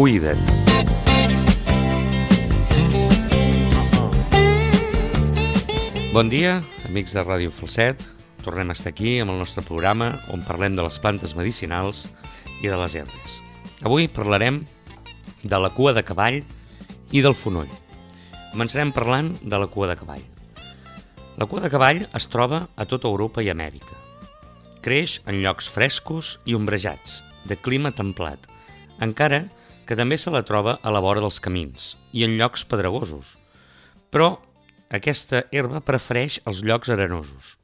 Cuida't. Bon dia, amics de Ràdio Falset. Tornem a estar aquí amb el nostre programa on parlem de les plantes medicinals i de les herbes. Avui parlarem de la cua de cavall i del fonoll. Començarem parlant de la cua de cavall. La cua de cavall es troba a tota Europa i Amèrica. Creix en llocs frescos i ombrejats, de clima templat, encara que també se la troba a la vora dels camins i en llocs pedregosos. Però aquesta herba prefereix els llocs arenosos.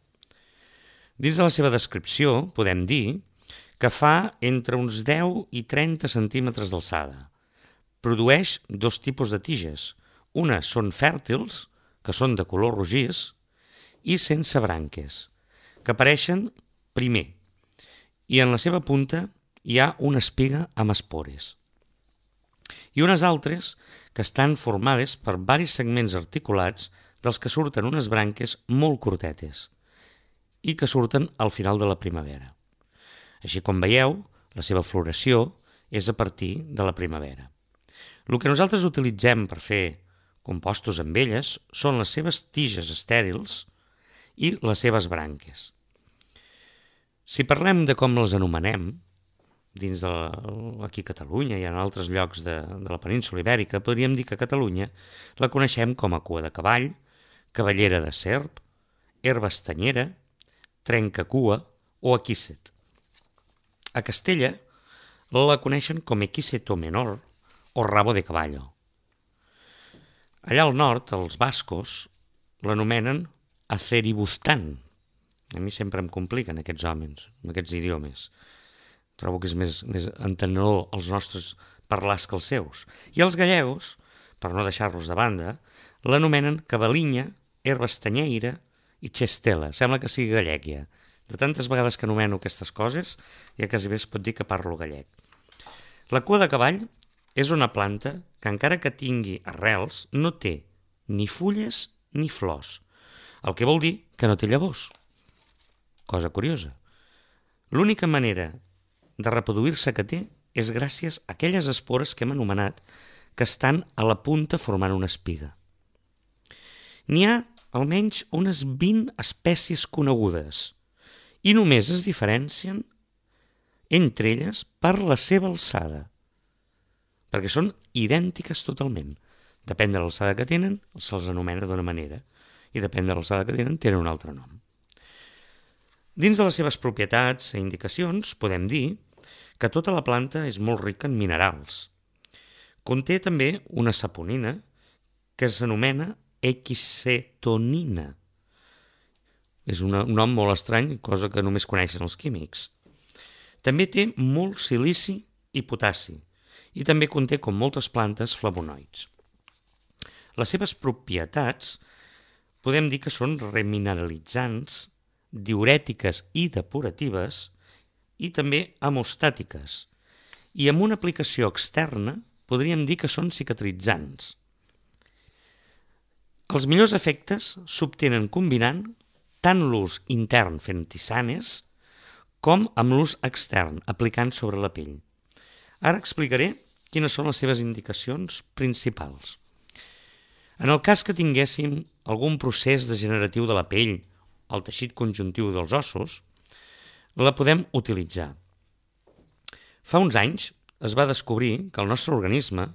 Dins de la seva descripció podem dir que fa entre uns 10 i 30 centímetres d'alçada. Produeix dos tipus de tiges. Unes són fèrtils, que són de color rogís, i sense branques, que apareixen primer, i en la seva punta hi ha una espiga amb espores. I unes altres que estan formades per varis segments articulats dels que surten unes branques molt curtetes i que surten al final de la primavera. Així com veieu, la seva floració és a partir de la primavera. El que nosaltres utilitzem per fer compostos amb elles són les seves tiges estèrils i les seves branques. Si parlem de com les anomenem, dins aquí a Catalunya i en altres llocs de la península ibèrica, podríem dir que a Catalunya la coneixem com a cua de cavall, cavallera de serp, herba estanyera, trencacua o equíset. A Castella la coneixen com equíseto menor o rabo de caballo. Allà al nord, els bascos l'anomenen aceribuztán. A mi sempre em compliquen aquests homes, aquests idiomes. Trobo que és més entenedor els nostres parlars que els seus. I els gallegos, per no deixar-los de banda, l'anomenen cavalinya, herba estanyeira i xestela. Sembla que sigui gallec ja. De tantes vegades que anomeno aquestes coses, ja quasi bé es pot dir que parlo gallec. La cua de cavall és una planta que, encara que tingui arrels, no té ni fulles ni flors, el que vol dir que no té llavors. Cosa curiosa. L'única manera de reproduir-se que té és gràcies a aquelles espores que hem anomenat que estan a la punta formant una espiga. N'hi ha almenys unes 20 espècies conegudes i només es diferencien entre elles per la seva alçada, perquè són idèntiques totalment. Depèn de l'alçada que tenen, se'ls anomena d'una manera, i depèn de l'alçada que tenen un altre nom. Dins de les seves propietats i indicacions podem dir que tota la planta és molt rica en minerals. Conté també una saponina que s'anomena equisetonina. És un nom molt estrany, cosa que només coneixen els químics. També té molt silici i potassi i també conté, com moltes plantes, flavonoids. Les seves propietats podem dir que són remineralitzants, diürètiques i depuratives i també hemostàtiques. I amb una aplicació externa podríem dir que són cicatritzants. Els millors efectes s'obtenen combinant tant l'ús intern fent tisanes com amb l'ús extern aplicant sobre la pell. Ara explicaré quines són les seves indicacions principals. En el cas que tinguéssim algun procés degeneratiu de la pell, el teixit conjuntiu dels ossos, la podem utilitzar. Fa uns anys es va descobrir que el nostre organisme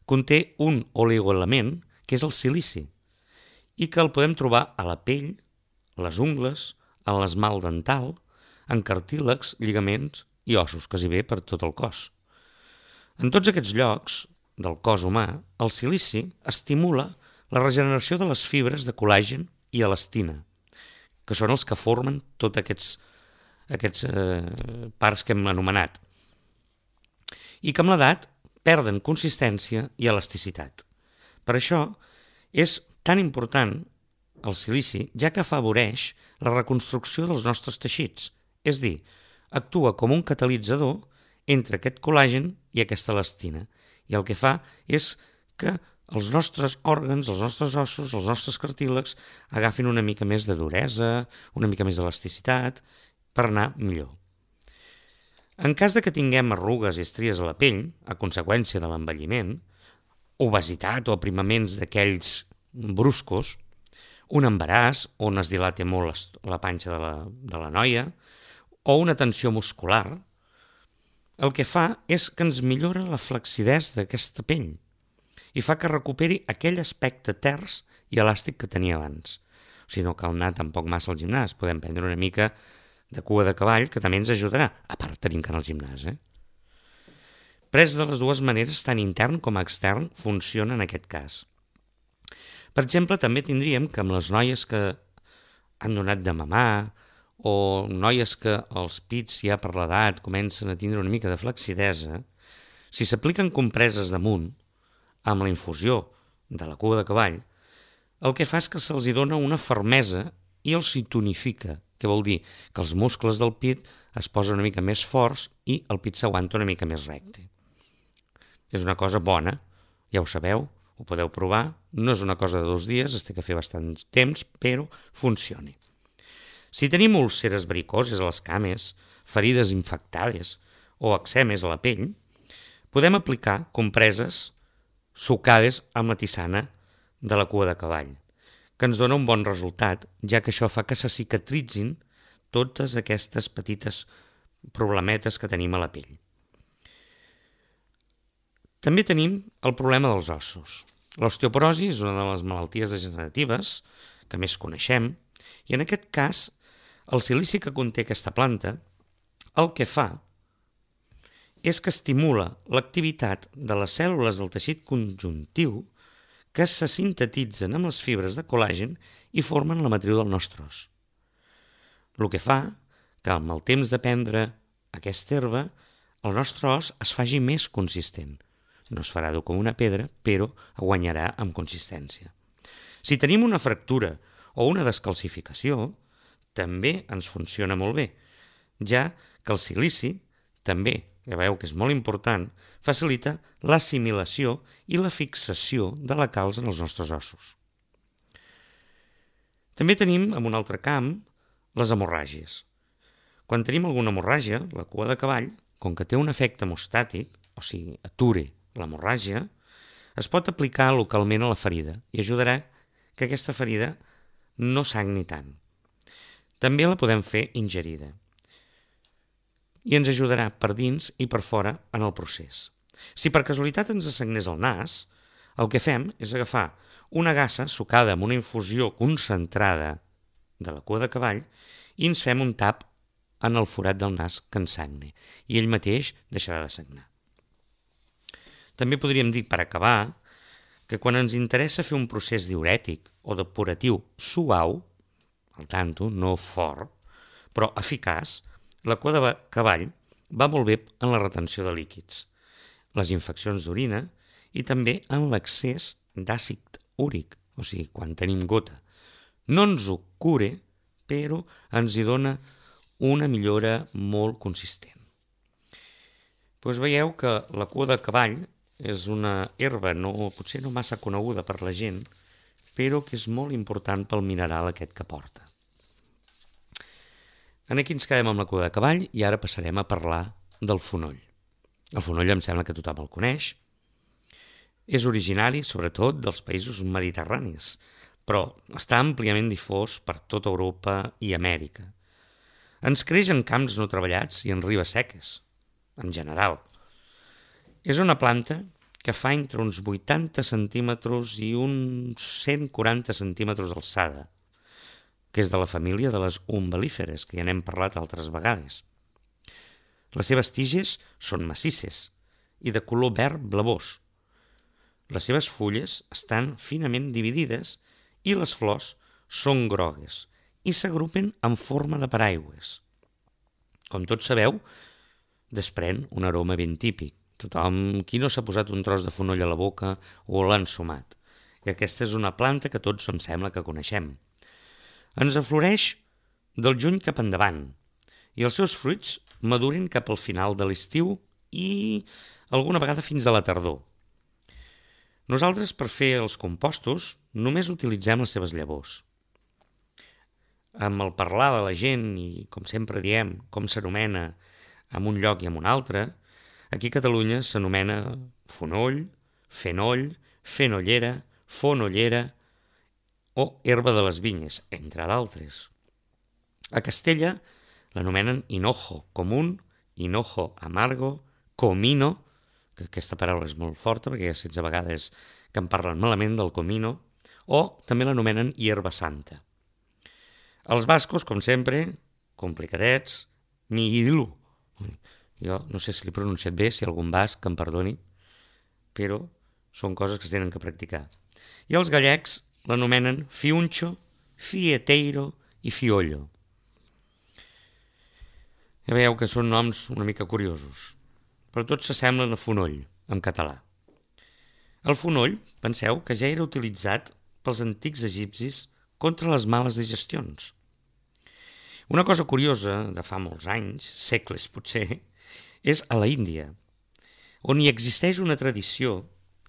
conté un oligoelement que és el silici i que el podem trobar a la pell, a les ungles, en l'esmalt dental, en cartílags, lligaments i ossos, quasi bé per tot el cos. En tots aquests llocs del cos humà, el silici estimula la regeneració de les fibres de col·làgen i elastina, que són els que formen tots aquests parts que hem anomenat, i que amb l'edat perden consistència i elasticitat. Per això és tan important el silici, ja que afavoreix la reconstrucció dels nostres teixits, és a dir, actua com un catalitzador entre aquest col·làgen i aquesta elastina, i el que fa és que els nostres òrgans, els nostres ossos, els nostres cartílags agafin una mica més de duresa, una mica més d'elasticitat, per anar millor. En cas de que tinguem arrugues i estries a la pell, a conseqüència de l'envelliment, obesitat o aprimaments d'aquells bruscos, un embaràs on es dilata molt la panxa de la noia, o una tensió muscular, el que fa és que ens millora la flexidesa d'aquesta pell i fa que recuperi aquell aspecte ters i elàstic que tenia abans. O sigui, no cal anar tampoc massa al gimnàs, podem prendre una mica de cua de cavall, que també ens ajudarà, a part tenim que anar al gimnàs. Pres de les dues maneres, tant intern com extern, funciona en aquest cas. Per exemple, també tindríem que amb les noies que han donat de mamar o noies que els pits ja per l'edat comencen a tindre una mica de flexidesa, si s'apliquen compreses damunt, amb la infusió de la cua de cavall, el que fa és que se'ls dona una fermesa i els hi tonifica, que vol dir que els muscles del pit es posen una mica més forts i el pit s'aguanta una mica més recte. És una cosa bona, ja ho sabeu, ho podeu provar, no és una cosa de 2 dies, es té que fer bastant temps, però funciona. Si tenim úlceres varicoses a les cames, ferides infectades o eczemes a la pell, podem aplicar compreses sucades amb la tisana de la cua de cavall, que ens dona un bon resultat, ja que això fa que se cicatritzin totes aquestes petites problemetes que tenim a la pell. També tenim el problema dels ossos. L'osteoporosi és una de les malalties degeneratives que més coneixem i en aquest cas el silici que conté aquesta planta el que fa és que estimula l'activitat de les cèl·lules del teixit conjuntiu que se sintetitzen amb les fibres de col·làgen i formen la matriu del nostre os. El que fa que amb el temps de prendre aquesta herba el nostre os es faci més consistent. No es farà dur com una pedra, però guanyarà amb consistència. Si tenim una fractura o una descalcificació, també ens funciona molt bé, ja que el silici també, ja veieu que és molt important, facilita l'assimilació i la fixació de la calç en els nostres ossos. També tenim, en un altre camp, les hemorràgies. Quan tenim alguna hemorràgia, la cua de cavall, com que té un efecte hemostàtic, o sigui, ature l'hemorràgia, es pot aplicar localment a la ferida i ajudarà que aquesta ferida no sagni tant. També la podem fer ingerida i ens ajudarà per dins i per fora en el procés. Si per casualitat ens sagnés el nas, el que fem és agafar una gassa sucada amb una infusió concentrada de la cua de cavall i ens fem un tap en el forat del nas que ens sagne i ell mateix deixarà de sagnar. També podríem dir, per acabar, que quan ens interessa fer un procés diürètic o depuratiu suau, al tanto, no fort, però eficaç, la cua de cavall va molt bé en la retenció de líquids, les infeccions d'orina i també en l'excés d'àcid úric, o sigui, quan tenim gota. No ens ho cure, però ens hi dona una millora molt consistent. Doncs veieu que la cua de cavall és una herba potser no massa coneguda per la gent, però que és molt important pel mineral aquest que porta. Aquí ens quedem amb la cua de cavall i ara passarem a parlar del fonoll. El fonoll em sembla que tothom el coneix. És originari, sobretot, dels països mediterranis, però està àmpliament difós per tota Europa i Amèrica. Ens creix en camps no treballats i en ribes seques, en general. És una planta que fa entre uns 80 centímetres i uns 140 centímetres d'alçada, que és de la família de les umbel·líferes, que ja n'hem parlat altres vegades. Les seves tiges són massisses i de color verd blavós. Les seves fulles estan finament dividides i les flors són grogues i s'agrupen en forma de paraigües. Com tots sabeu, desprèn un aroma ben típic. Tothom, qui no s'ha posat un tros de fonoll a la boca o l'ha ensumat? I aquesta és una planta que tots em sembla que coneixem. Ens afloreix del juny cap endavant i els seus fruits maduren cap al final de l'estiu i alguna vegada fins a la tardor. Nosaltres, per fer els compostos, només utilitzem les seves llavors. Amb el parlar de la gent i, com sempre diem, com s'anomena en un lloc i en un altre, aquí a Catalunya s'anomena fonoll, fenoll, fenollera, fonollera o herba de les vinyes, entre d'altres. A Castella l'anomenen hinojo común, hinojo amargo, comino, que aquesta paraula és molt forta perquè hi ha 16 vegades que en parlen malament del comino, o també l'anomenen hierba santa. Els bascos, com sempre, complicadets, mihilu. Jo no sé si l'he pronunciat bé, si algun basc em perdoni, però són coses que es tenen que practicar. I els gallecs l'anomenen fiuncho, fieteiro i fiollo. Ja veieu que són noms una mica curiosos, però tots s'assemblen a fonoll, en català. El fonoll, penseu que ja era utilitzat pels antics egipcis contra les males digestions. Una cosa curiosa de fa molts anys, segles potser, és a la Índia, on hi existeix una tradició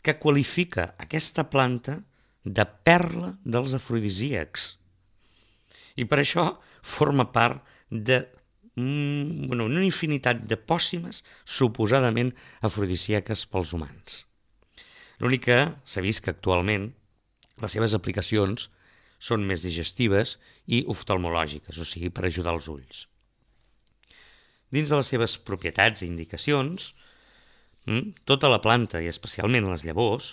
que qualifica aquesta planta de perla dels afrodisíacs. I per això forma part de una infinitat de pòssimes suposadament afrodisíaques pels humans. L'únic que s'ha vist que actualment les seves aplicacions són més digestives i oftalmològiques, o sigui, per ajudar els ulls. Dins de les seves propietats i indicacions, tota la planta, i especialment les llavors,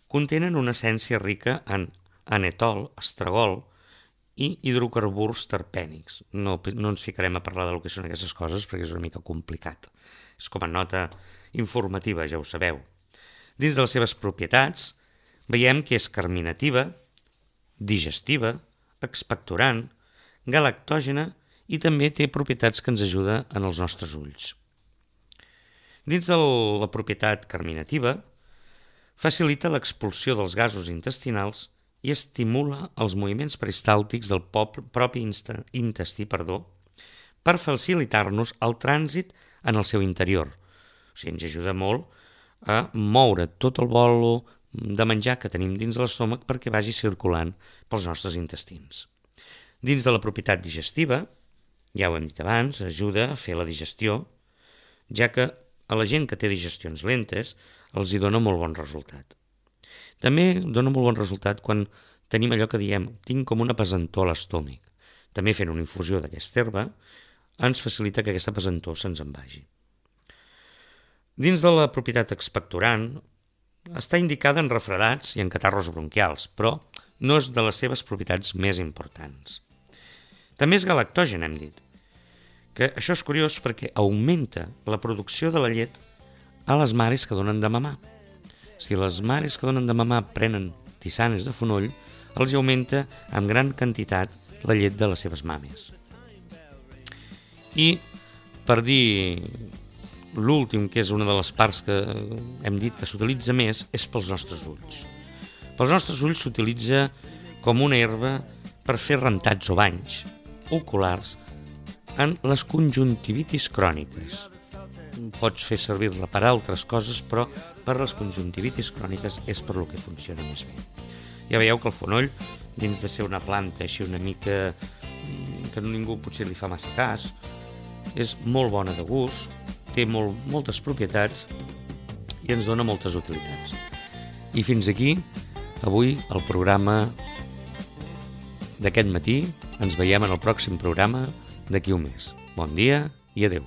contenen una essència rica en anetol, estragol i hidrocarburs terpènics. No ens ficarem a parlar del que són aquestes coses perquè és una mica complicat. És com a nota informativa, ja ho sabeu. Dins de les seves propietats veiem que és carminativa, digestiva, expectorant, galactògena i també té propietats que ens ajuden en els nostres ulls. Dins de la propietat carminativa, facilita l'expulsió dels gasos intestinals i estimula els moviments peristàltics del propi intestí per facilitar-nos el trànsit en el seu interior. O sigui, ens ajuda molt a moure tot el bolo de menjar que tenim dins de l'estómac perquè vagi circulant pels nostres intestins. Dins de la propietat digestiva, ja ho hem dit abans, ajuda a fer la digestió, ja que a la gent que té digestions lentes els hi dona molt bon resultat. També dona molt bon resultat quan tenim allò que diem, tinc com una pesantor a l'estómac. També fent una infusió d'aquesta herba ens facilita que aquesta pesantor se'ns en vagi. Dins de la propietat expectorant està indicada en refredats i en catarros bronquials, però no és de les seves propietats més importants. També és galactògen, hem dit, que això és curiós perquè augmenta la producció de la llet a les mares que donen de mamar. Si les mares que donen de mamar prenen tisanes de fonoll, els augmenta en gran quantitat la llet de les seves mames. I per dir l'últim, que és una de les parts que hem dit que s'utilitza més, és pels nostres ulls. Pels nostres ulls s'utilitza com una herba per fer rentats o banys oculars en les conjuntivitis cròniques. Pots fer servir-la per altres coses, però per les conjuntivitis cròniques és per lo que funciona més bé. Ja veieu que el fonoll, dins de ser una planta així una mica que ningú potser li fa massa cas, és molt bona de gust, té moltes propietats i ens dona moltes utilitats. I fins aquí, avui, el programa d'aquest matí. Ens veiem en el pròxim programa d'aquí un mes. Bon dia i adeu.